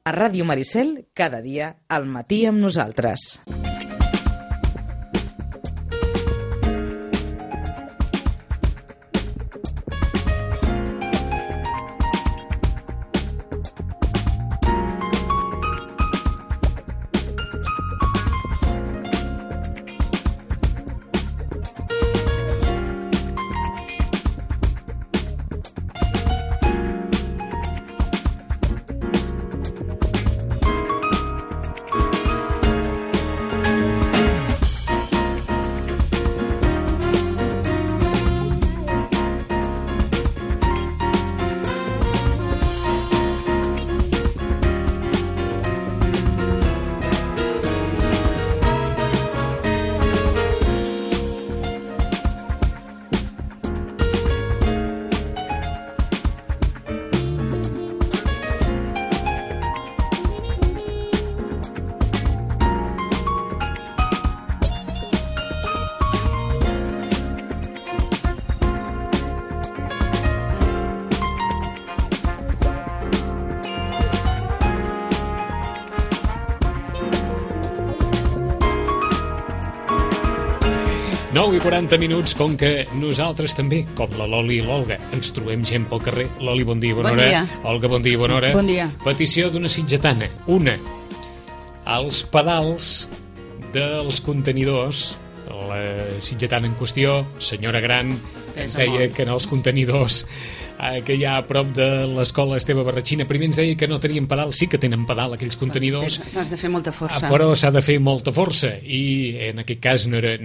A Ràdio Maricel, cada dia, al matí amb nosaltres. I 40 minuts, com que nosaltres també, com la Loli i l'Olga, ens trobem gent pel carrer. Loli, bon dia, bona hora. Olga, bon dia, bona hora. Bon dia. Petició d'una sitgetana. Una, els pedals dels contenidors. La sitgetana en qüestió, senyora gran, ens deia que en els contenidors que hi ha a prop de l'escola Esteve Barratxina, primer ens deia que no tenien pedal. Sí que tenen pedal, aquells contenidors. S'has de fer molta força. Però s'ha de fer molta força. I en aquest cas no era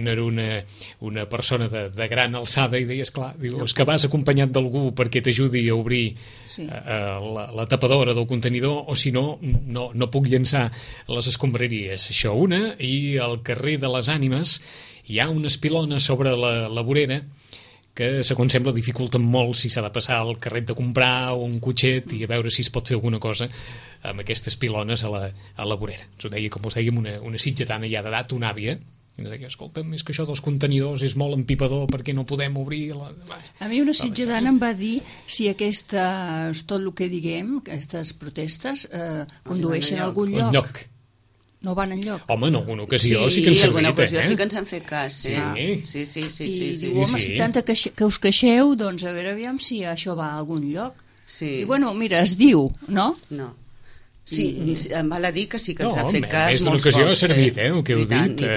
una persona de gran alçada i deia, esclar, és que vas acompanyat d'algú perquè t'ajudi a obrir la tapadora del contenidor, o si no, no puc llançar les escombraries. Això una. I al carrer de les Ànimes hi ha unes pilones sobre la vorera que, segons sembla, dificulten molt si s'ha de passar el carret de comprar o un cotxet i a veure si es pot fer alguna cosa amb aquestes pilones a la vorera. Ens ho deia, com us dèiem, una sitgetana ja d'edat, una àvia. Ens deia, escolta'm, és que això dels contenidors és molt empipador perquè no podem obrir... A mi una sitgetana em va dir si aquestes, tot el que diguem, aquestes protestes, condueixen a algun lloc. No van enlloc. Home, en alguna ocasió sí que ens ha servit, alguna ocasió sí que ens han fet cas. Sí. Diu, home, si tant que us queixeu, doncs a veure, aviam si això va a algun lloc. Sí. I bueno, mira, es diu, no? No. Sí, em val a dir que sí que ens ha fet cas més molts d'una ocasió cops. Ha servit, el que heu dit.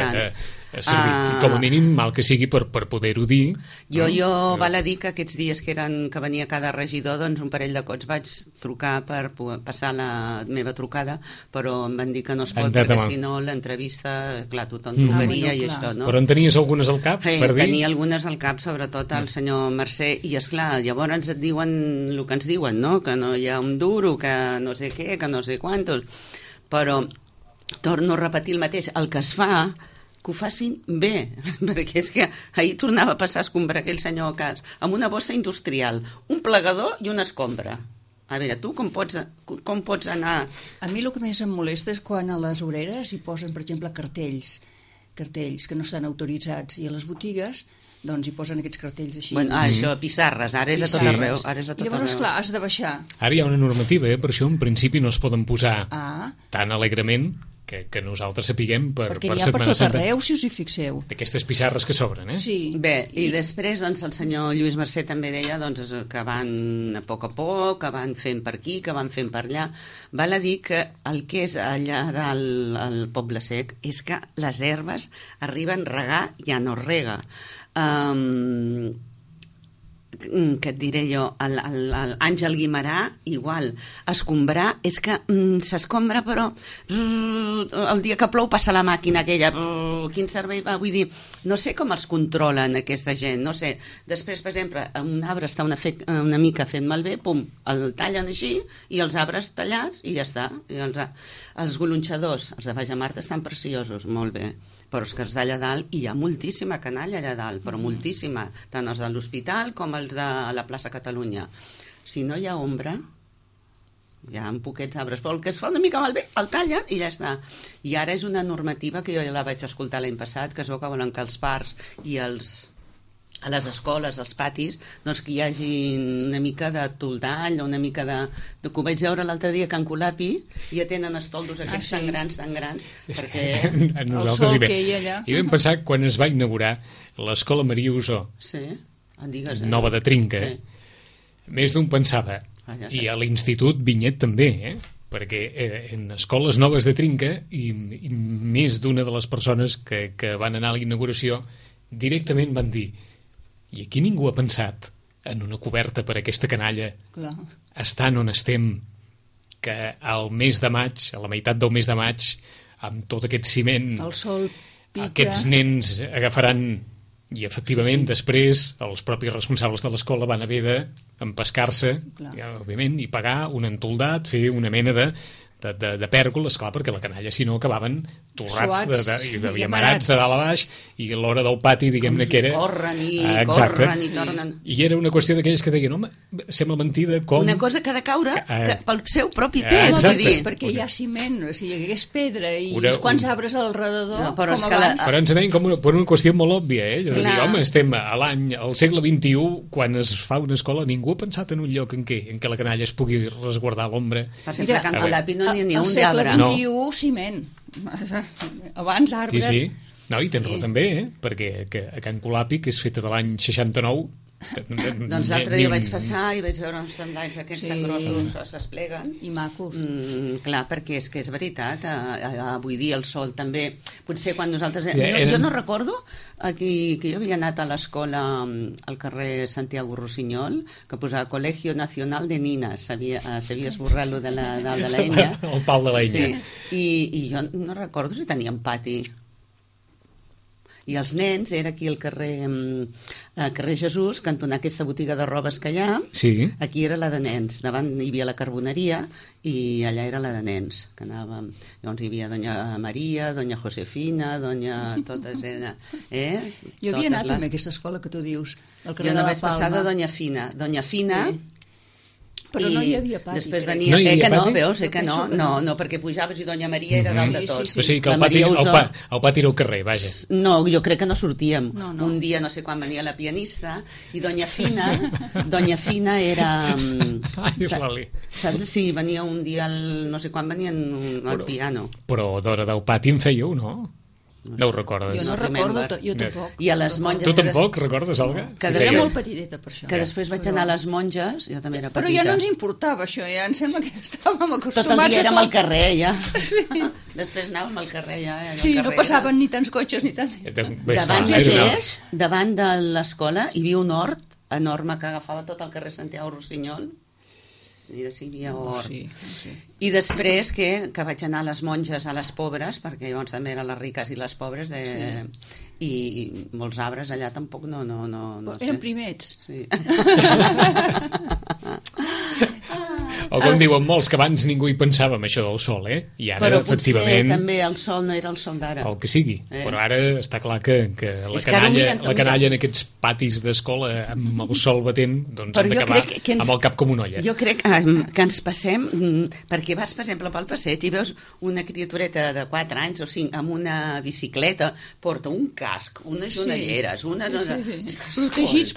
Ha servit, com a mínim, mal que sigui per poder-ho dir. Jo val a dir que aquests dies que venia cada regidor, doncs un parell de cops vaig trucar per passar la meva trucada, però em van dir que no es pot, perquè si no l'entrevista, clar, tothom trucaria i això, no? Però en tenies algunes al cap, per dir? Tenia algunes al cap, sobretot el senyor Mercè, i esclar, llavors et diuen el que ens diuen, no? Que no hi ha un duro, que no sé què, que no sé quantos, però torno a repetir el mateix, el que es fa que ho facin bé, perquè és que ahir tornava a passar a escombrar aquell senyor Cas amb una bossa industrial, un plegador i una escombra. A veure, tu com pots anar... A mi el que més em molesta és quan a les voreres hi posen, per exemple, cartells que no estan autoritzats, i a les botigues doncs hi posen aquests cartells així. Bueno, això, pissarres, ara és a tot arreu. Llavors, clar, has de baixar. Ara hi ha una normativa, per això en principi no es poden posar tan alegrement que nosaltres sapiguem per Perquè n'hi ha per tot arreu, si us hi fixeu. D'aquestes pissarres que s'obren, Sí. Bé, i després doncs, el senyor Lluís Mercè també deia doncs, que van a poc, que van fent per aquí, que van fent per allà. Val a dir que el que és allà dalt al Poble Sec és que les herbes arriben a regar, ja no rega. Que et diré jo, l'Àngel Guimarà, igual, escombrar, és que s'escombra, però el dia que plou passa la màquina aquella, quin servei va, vull dir, no sé com els controlen aquesta gent, no sé. Després, per exemple, un arbre està una mica fent malbé, pum, el tallen així, i els arbres tallats, i ja està. I els golonxadors, els de Baix a Marta, estan preciosos, molt bé, però és que els d'allà dalt, hi ha moltíssima canalla allà dalt, però moltíssima, tant els de l'hospital com els de la plaça Catalunya. Si no hi ha ombra, hi ha poquets arbres, però el que es fa una mica malbé, el tallen i ja està. I ara és una normativa que jo ja la vaig escoltar l'any passat, que es veu que volen que els parcs i els a les escoles, als patis, doncs que hi hagi una mica de toldall o una mica de... Que ho vaig veure l'altre dia a Can Colapi, i ja tenen estoldos aquests tan grans, perquè... El sol que hi ha allà... I vam pensar quan es va inaugurar l'escola Maria Usó, nova de Trinca, més d'un pensava, i a l'Institut Vinyet també, perquè en escoles noves de Trinca i més d'una de les persones que van anar a la inauguració directament van dir: i aquí ningú ha pensat en una coberta per a aquesta canalla, estant on estem, que al mes de maig, a la meitat del mes de maig, amb tot aquest ciment, el sol pica, aquests nens agafaran, i efectivament després els propis responsables de l'escola van haver d'empescar-se, òbviament, i pagar un entoldat, fer una mena de pèrgol, esclar, perquè la canalla si no acabaven torrats i amarats de dalt a baix, i a l'hora del pati, diguem-ne que era... Corren i tornen. I era una qüestió d'aquelles que deien, home, sembla mentida com... Una cosa que ha de caure pel seu propi pes. Perquè hi ha ciment, si hi hagués pedra i uns quants arbres al redador, com abans... Però ens deien com per una qüestió molt òbvia, És a dir, home, estem a l'any, al segle XXI, quan es fa una escola, ningú ha pensat en un lloc en què la canalla es pugui resguardar a l'ombra. Per exemple, a Can Colapi no n'hi ha ni un d'arbre. Al segle XXI, ciment. Abans arbres... Sí, no, i tens raó també, perquè a Can Colapi, que és feta de l'any 69... Doncs l'altre dia vaig passar i vaig veure uns tendalls aquests tan grossos s'espleguen. I macos. Clar, perquè és que és veritat, avui dia el sol també, potser quan nosaltres... Jo no recordo que jo havia anat a l'escola al carrer Santiago Rossinyol, que posava Colegio Nacional de Ninas, s'havia esborrat lo de la enya. El pal de la enya. I jo no recordo si teníem pati. I els nens, era aquí al carrer Jesús, cantonar aquesta botiga de robes que hi ha, aquí era la de nens, davant hi havia la carboneria i allà era la de nens, que anàvem, llavors hi havia Doña Maria, Doña Josefina, totes eren... Jo havia anat també a aquesta escola que tu dius, al carrer de la Palma. Jo no vaig passar de Doña Fina. Doña Fina... Però no hi havia pati. Després venia... No, perquè pujaves i Doña Maria era dalt de tot. O sigui que el pati era al carrer, vaja. No, jo crec que no sortíem. Un dia, no sé quan venia la pianista, i Doña Fina era... Saps? Sí, venia un dia, no sé quan venien al piano. Però d'hora del pati en fèieu, no? No ho recordes? Jo no recordo, jo tampoc. I a les monges... Tu tampoc recordes, Olga? Era molt petiteta per això. Que després vaig anar a les monges, jo també era petita. Però ja no ens importava això, ja em sembla que estàvem acostumats a tot. Tot el dia érem al carrer, ja. Sí. Després anàvem al carrer, ja. Sí, no passaven ni tants cotxes ni tant. Davant de l'escola hi havia un hort enorme que agafava tot el carrer Santiago Rossinyol. Mira si hi havia hort. I després que vaig anar a les monges, a les pobres, perquè llavors també eren les riques i les pobres, i molts arbres allà tampoc no eren primets. Sí. O com diuen molts, que abans ningú hi pensava en això del sol, I ara, però efectivament... Però també el sol no era el sol d'ara. El que sigui. Però ara està clar que la canalla en aquests patis d'escola amb el sol batent, doncs han d'acabar amb el cap com una olla. Jo crec que ens passem, perquè vas, per exemple, pel passeig i veus una criatureta de 4 anys o 5 amb una bicicleta, porta un casc, unes jonelleres, Protegits.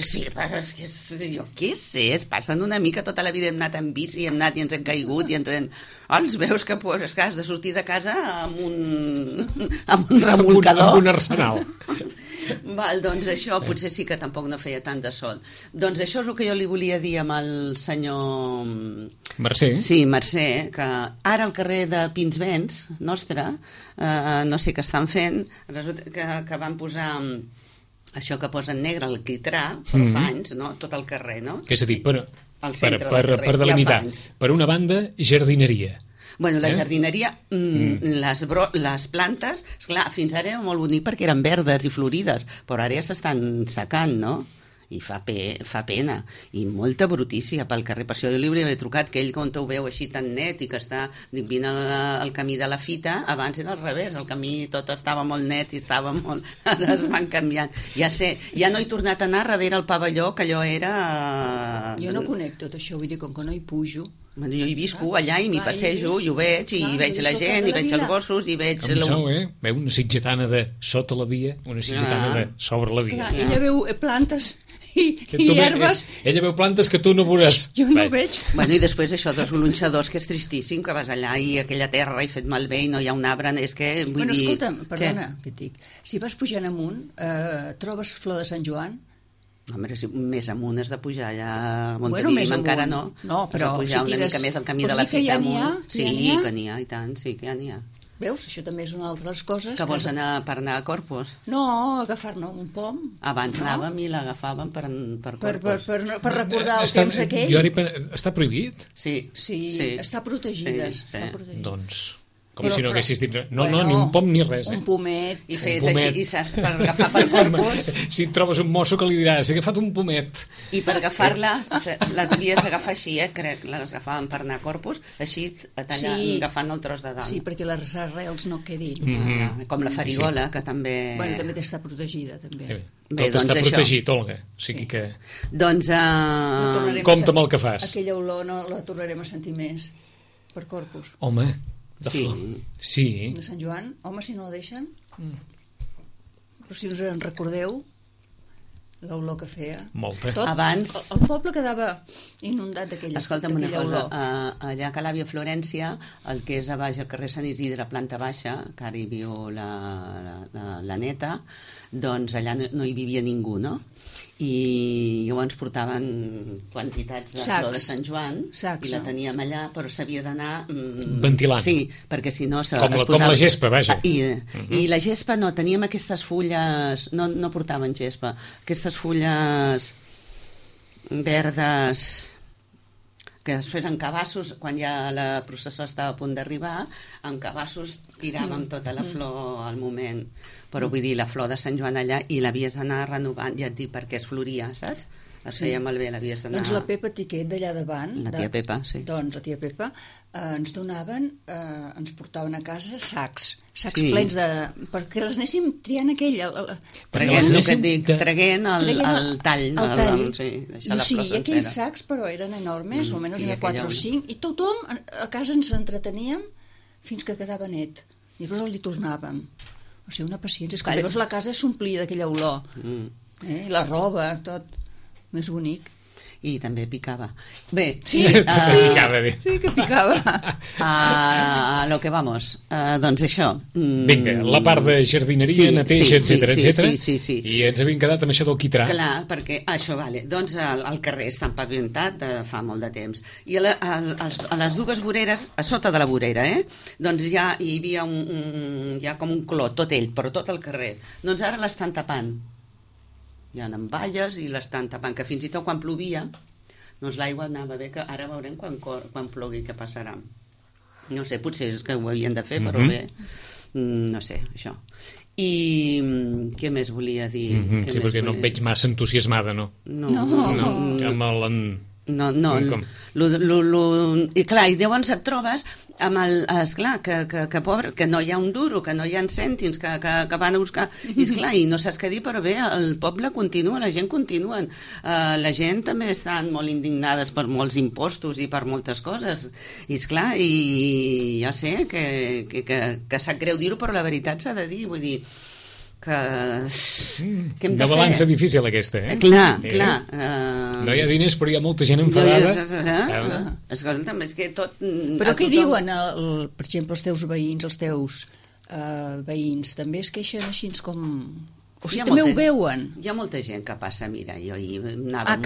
Sí, però és que jo què sé, es passen una mica, tota la vida hem anat en bici, hem anat i ens hem caigut i els veus que has de sortir de casa amb un remolcador. Amb un arsenal. Val, doncs això potser sí que tampoc no feia tant de sol. Doncs això és el que jo li volia dir amb el senyor... Mercè. Sí, Mercè, que ara al carrer de Pinsbens, nostre, no sé què estan fent, resulta que van posar... això que posa en negre, el quitrà, però fa anys, no? Tot el carrer, no? És a dir, per delimitar, per una banda, jardineria. Bueno, la jardineria, les plantes, esclar, fins ara era molt bonic perquè eren verdes i florides, però ara ja s'estan secant, no? I fa pena, i molta brutícia pel carrer. Per això jo li hauria d'haver trucat, que ell, quan ho veu així tan net i que està vint al camí de la fita, abans era al revés, el camí tot estava molt net i estava molt... Ara es van canviant. Ja sé, ja no he tornat a anar darrere el pavelló, que allò era... Jo no conec tot això, vull dir, com que no hi pujo... Jo hi visco allà i m'hi passejo, i ho veig, i veig la gent, i veig els gossos, i veig... Com sou, Veu una sitgetana de sota la via, una sitgetana de sobre la via. Ella veu plantes i herbes... Ella veu plantes que tu no veuràs. Jo no veig. Bueno, i després això dels gronxadors, que és tristíssim, que vas allà i aquella terra i fet malbé i no hi ha un arbre, és que... Bueno, escolta'm, perdona, què et dic? Si vas pujant amunt, trobes flor de Sant Joan? Home, si més amunt has de pujar allà a Montevideo, encara no. No, però pujar una mica més el camí de la Fita amunt. Sí, que n'hi ha, i tant, sí que n'hi ha. Veus? Això també és una altra de les coses... Que vols anar per anar a Corpus? No, agafar-ne un pom. Abans anàvem i l'agafàvem per Corpus. Per recordar el temps aquell. Està prohibit? Sí, està protegida. Doncs... Com si no haguessis dit... No, ni un pom ni res. Un pomet. I fes així, saps, per agafar per Corpus. Si et trobes un mosso que li diràs, he agafat un pomet. I per agafar-la, les havies d'agafar així, crec, les agafàvem per anar a Corpus, així, agafant el tros de dalt. Sí, perquè les arrels no quedin. Com la farigola, que també... Bueno, també està protegida, també. Tot està protegit, Olga. O sigui que... Doncs... Compte amb el que fas. Aquella olor no la tornarem a sentir més per Corpus. Home... Sí. De Sant Joan, home, si no la deixen. Però si us en recordeu, l'olor que feia. Molta. Abans... El poble quedava inundat d'aquella olor. Escolta'm una cosa, allà a Calàvia, Florència, el que és a baix, al carrer Sant Isidre, planta baixa, que ara hi viu la neta, doncs allà no hi vivia ningú, no? I llavors portaven quantitats de flor de Sant Joan i la teníem allà, però s'havia d'anar ventilant. Sí, perquè si no com la gespa, vaja. I la gespa no, teníem aquestes fulles, no portaven gespa, aquestes fulles verdes que després en cabassos, quan ja la processó estava a punt d'arribar, en cabassos tiràvem tota la flor al moment. Però vull dir, la flor de Sant Joan allà, i l'havies d'anar renovant, ja et dic, perquè es floria, saps? Es feia malbé, l'havies d'anar... Doncs la Pepa Tiquet d'allà davant... La tia Pepa, sí. Doncs la tia Pepa ens donaven, ens portaven a casa sacs plens de... perquè les anéssim triant aquella... Traguent, el que et dic, traguent el tall. Sí, i aquells sacs, però eren enormes, almenys n'hi ha 4 o 5, i tothom a casa ens entreteníem fins que quedava net. I llavors li tornàvem. O sigui, una paciència. És que llavors la casa s'omplia d'aquella olor. La roba, tot. Més bonic. I també picava. Bé, sí que picava. A lo que vamos. Doncs això. Vinga, la part de jardineria, neteja, etcètera. Sí. I ens havíem quedat amb això del quitrà. Clar, perquè això, vale. Doncs el carrer està empavimentat de fa molt de temps. I a les dues voreres, a sota de la vorera, doncs ja hi havia ja com un clot, tot ell, però tot el carrer. Doncs ara l'estan tapant. Hi ha valles i l'estan tapant, que fins i tot quan plovia, doncs l'aigua anava bé, que ara veurem quan plogui què passarà. No sé, potser és que ho havien de fer, però bé, no sé, això. I què més volia dir? Sí, perquè no et veig massa entusiasmada, no? No. I clar, i llavors et trobes amb esclar, que pobre, que no hi ha un duro, que no hi ha cèntims que van a buscar, i esclar, i no saps què dir, però bé, el poble continua, la gent continua, la gent també estan molt indignades per molts impostos i per moltes coses, i esclar, i ja sé que sap greu dir-ho, però la veritat s'ha de dir, vull dir que hem de una balança difícil aquesta, Clar. No hi ha diners, però hi ha molta gent enfadada. Escolta'm, és que tot... Però què diuen, per exemple, els teus veïns, els teus veïns, també es queixen així com... O sigui, també ho veuen. Hi ha molta gent que passa, mira, jo anava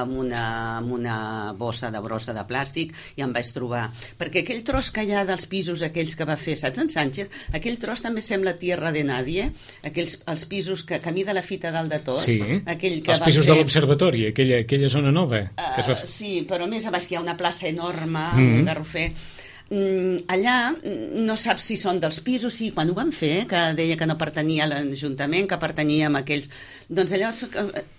amb una bossa de brossa de plàstic i em vaig trobar, perquè aquell tros que hi ha dels pisos aquells que va fer, saps, en Sánchez, aquell tros també sembla Tierra de Nadie, els pisos que camí de la Fita dalt de tot, els pisos de l'Observatori, aquella zona nova que es va fer. Sí, però més a baix hi ha una plaça enorme, un garrofer. Allà no saps si són dels pisos, sí, quan ho van fer, que deia que no pertanyia a l'Ajuntament, que pertanyia a aquells, doncs allò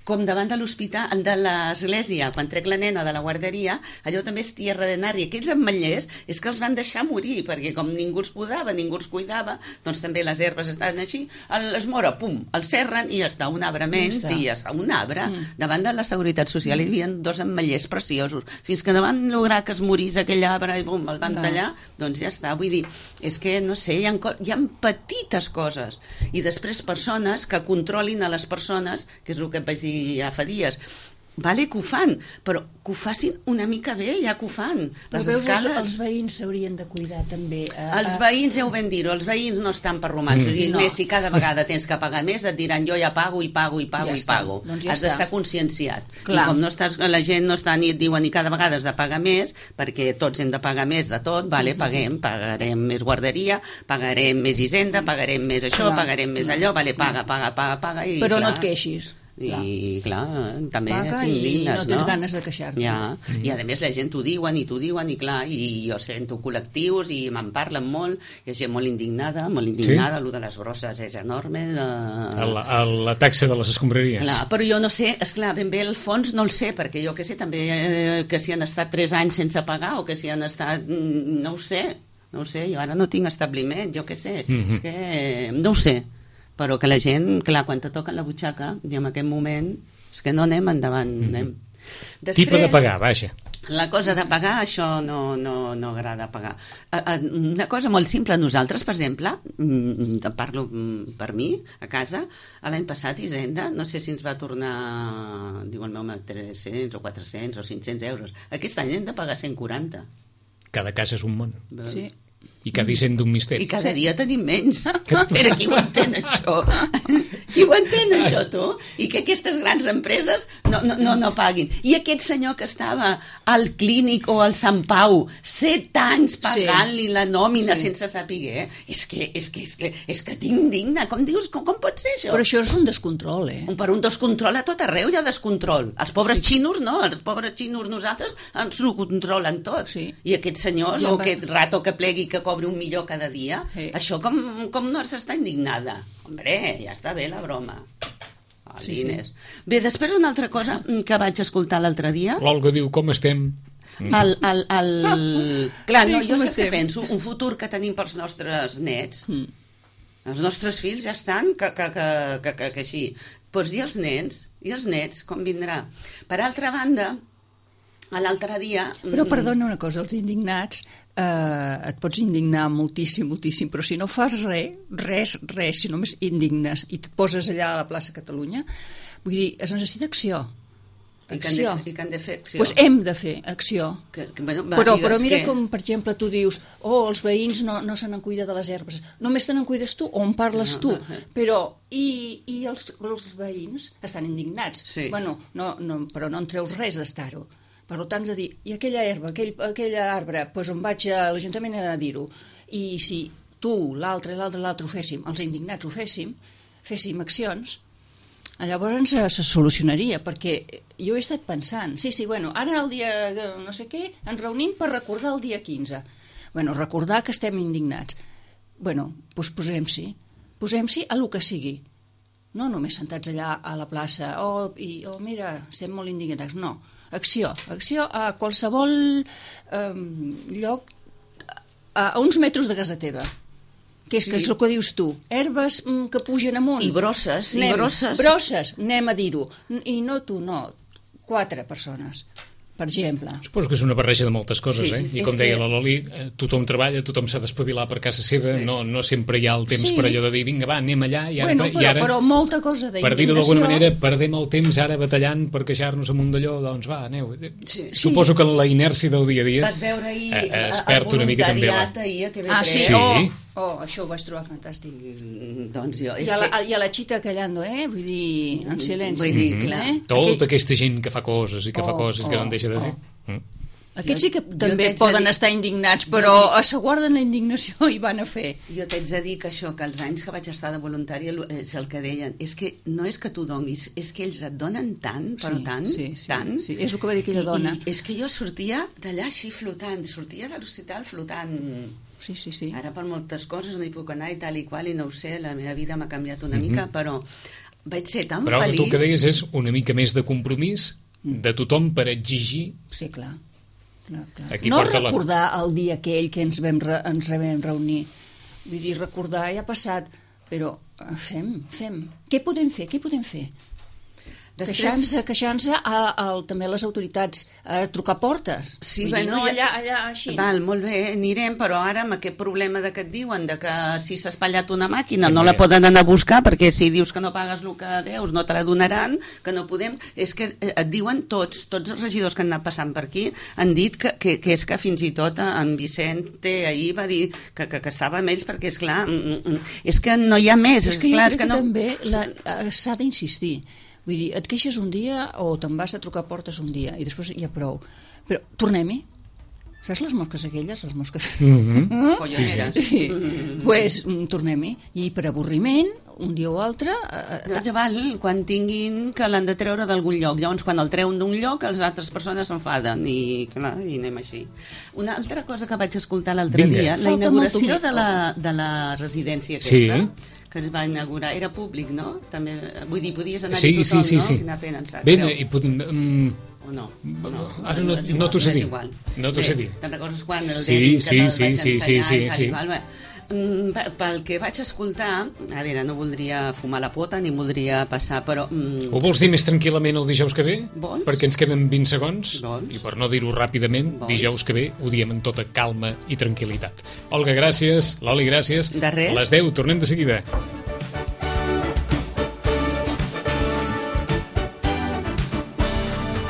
com davant de l'hospital, de l'església, quan trec la nena de la guarderia, allò també és tierra de nadie. Aquells ametllers és que els van deixar morir, perquè com ningú els podava, ningú els cuidava, doncs també les herbes estaven així, es mora, pum, el serren i ja està, un arbre menys, i ja està, un arbre. Davant de la Seguretat Social hi havia 2 ametllers preciosos, fins que davant lograr que es morís aquell arbre i bum, el van tallar, doncs ja està. Vull dir, és que, no sé, hi ha petites coses. I després persones que controlin a les persones, que és el que et vaig dir ja fa dies, vale que ho fan, però que ho facin una mica bé, ja que ho fan. Les escales... Els veïns s'haurien de cuidar també. Els veïns, ja ho vam dir-ho, els veïns no estan per romansos, i més, si cada vegada tens que pagar més, et diran jo ja pago i pago i pago i pago. Has d'estar conscienciat. I com no estàs, la gent no està ni et diuen ni cada vegada has de pagar més, perquè tots hem de pagar més de tot, vale, pagarem més guarderia, pagarem més hisenda, pagarem més això, pagarem més allò, vale, paga, i però no et queixis. I clar, també t'indignes, no tens ganes de queixar-te. I a més la gent t'ho diuen i clar, i jo sento col·lectius i me'n parlen molt, hi ha gent molt indignada, allò de les brosses és enorme, la taxa de les escombraries. Clar, però jo no sé, esclar, ben bé el fons no el sé, perquè jo que sé també que si han estat 3 anys sense pagar o que si han estat, no ho sé, jo ara no tinc establiment, jo que sé, és que no ho sé, però que la gent, clar, quan te toquen la butxaca, i en aquest moment, és que no anem endavant. Després, tipus de pagar, vaja. La cosa de pagar, això no agrada pagar. Una cosa molt simple, nosaltres, per exemple, parlo per mi, a casa, l'any passat, Hisenda, no sé si ens va tornar, diu el meu, 300 o 400 o 500 euros. Aquest any hem de pagar 140. Cada casa és un món. Sí. I cada dissent d'un misteri. I cada dia tenim menys. Però qui ho entén, això? Qui ho entén, això, tu? I que aquestes grans empreses no paguin. I aquest senyor que estava al Clínic o al Sant Pau 7 anys pagant-li la nòmina sense saber, és que t'indigna. Com dius, com pot ser això? Però això és un descontrol, Per un descontrol a tot arreu hi ha descontrol. Els pobres xinos no, els pobres xinos nosaltres ens ho controlen tot. I aquests senyors, o aquest rato que plegui que cobri 1 milió cada dia, això com no s'està indignada? Hombre, ja està bé la broma. Bé, després una altra cosa que vaig escoltar l'altre dia. L'Olga diu, com estem? Clar, no, jo sé què penso, un futur que tenim pels nostres nets, els nostres fills ja estan que així. Doncs i els nets, com vindrà? Per altra banda, l'altre dia... Però perdona una cosa, els indignats et pots indignar moltíssim, però si no fas res, si només indignes i et poses allà a la plaça Catalunya, vull dir, es necessita acció. I que han de fer acció. Doncs hem de fer acció. Però mira com, per exemple, tu dius els veïns no se n'en cuida de les herbes. Només te n'en cuides tu, o en parles tu. Però i els veïns estan indignats. Però no en treus res d'estar-ho. Per tant, de dir, i aquella herba, aquell arbre, doncs on vaig a l'Ajuntament a dir-ho. I si tu, l'altre ho féssim, els indignats ho féssim accions, llavors se solucionaria, perquè jo he estat pensant, ara el dia no sé què, ens reunim per recordar el dia 15. Recordar que estem indignats. Doncs posem-s'hi a lo que sigui. No només sentats allà a la plaça, mira, estem molt indignats, no. Acció a qualsevol lloc a uns metres de casa teva, que és el que dius tu, herbes que pugen amunt i brosses, anem a dir-ho, i no tu, 4 persones, per exemple. Suposo que és una barreja de moltes coses, i com deia la Loli, tothom treballa, tothom s'ha d'espavilar per casa seva, no sempre hi ha el temps per allò de dir, vinga, va, anem allà, i ara, però molta cosa d'indignació. Per dir-ho d'alguna manera, perdem el temps ara batallant per queixar-nos amunt d'allò, doncs va, aneu. Suposo que la inèrcia del dia a dia vas veure ahir es perd una mica també. Ahir a TV3. Sí. Això ho vaig trobar fantàstic. Doncs jo... I a la Chita callando, vull dir, en silenci. Vull dir, clar. Tota aquesta gent que fa coses i que fa coses que no en deixa de dir. Aquests sí que també poden estar indignats, però se guarden la indignació i van a fer. Jo t'haig de dir que això, que els anys que vaig estar de voluntària és el que deien, és que no és que tu donis, és que ells et donen tant, però tant. Sí, és el que va dir aquella dona. És que jo sortia d'allà així flotant, sortia de l'hospital flotant. Sí. Ara per moltes coses no hi puc anar i tal i qual, i no ho sé, la meva vida m'ha canviat una mica, però Vaig ser tan però feliç. Però tu el que deies és una mica més de compromís de tothom per exigir... Sí, clar. Aquí no recordar el dia aquell que ens vam reunir. Vull dir, recordar ja ha passat, però fem. Què podem fer? Queixant-se també a les autoritats, trucar portes. Sí, bueno, allà així. Val, molt bé, anirem, però ara amb aquest problema que et diuen de que si s'ha espatllat una màquina no la poden anar a buscar, perquè si dius que no pagues el que deus no te la donaran, que no podem... És que et diuen tots els regidors que han anat passant per aquí han dit que és que fins i tot en Vicente ahir va dir que estava amb ells, perquè esclar, és que no hi ha més. És que jo crec que també s'ha d'insistir. Vull dir, et queixes un dia o te'n vas a trucar portes un dia i després ja prou. Però tornem-hi. Saps les mosques aquelles? Les mosques... Folloneres. Sí. Pues tornem-hi. I per avorriment, un dia o altre... Quan tinguin que l'han de treure d'algun lloc. Llavors, quan el treuen d'un lloc, les altres persones s'enfaden i anem així. Una altra cosa que vaig escoltar l'altre dia, la inauguració de la residència aquesta... Sí. Que es va inaugurar, era públic, no? També, vull dir, podies anar-hi tothom, no? Sí. Anar fent, saps? Bé, o no? Ara no t'ho sé dir. No t'ho sé dir. Te'n recordes quan el deien que te'l vaig ensenyar? Sí. Pel que vaig escoltar, a veure, no voldria fumar la pota ni voldria passar, però... Ho vols dir més tranquil·lament el dijous que ve? Vols? Perquè ens queden 20 segons. Vols? I per no dir-ho ràpidament, dijous que ve ho diem amb tota calma i tranquil·litat. Olga, gràcies. Loli, gràcies. De res. A les 10, tornem de seguida.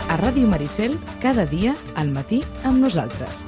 A Ràdio Maricel, cada dia al matí amb nosaltres.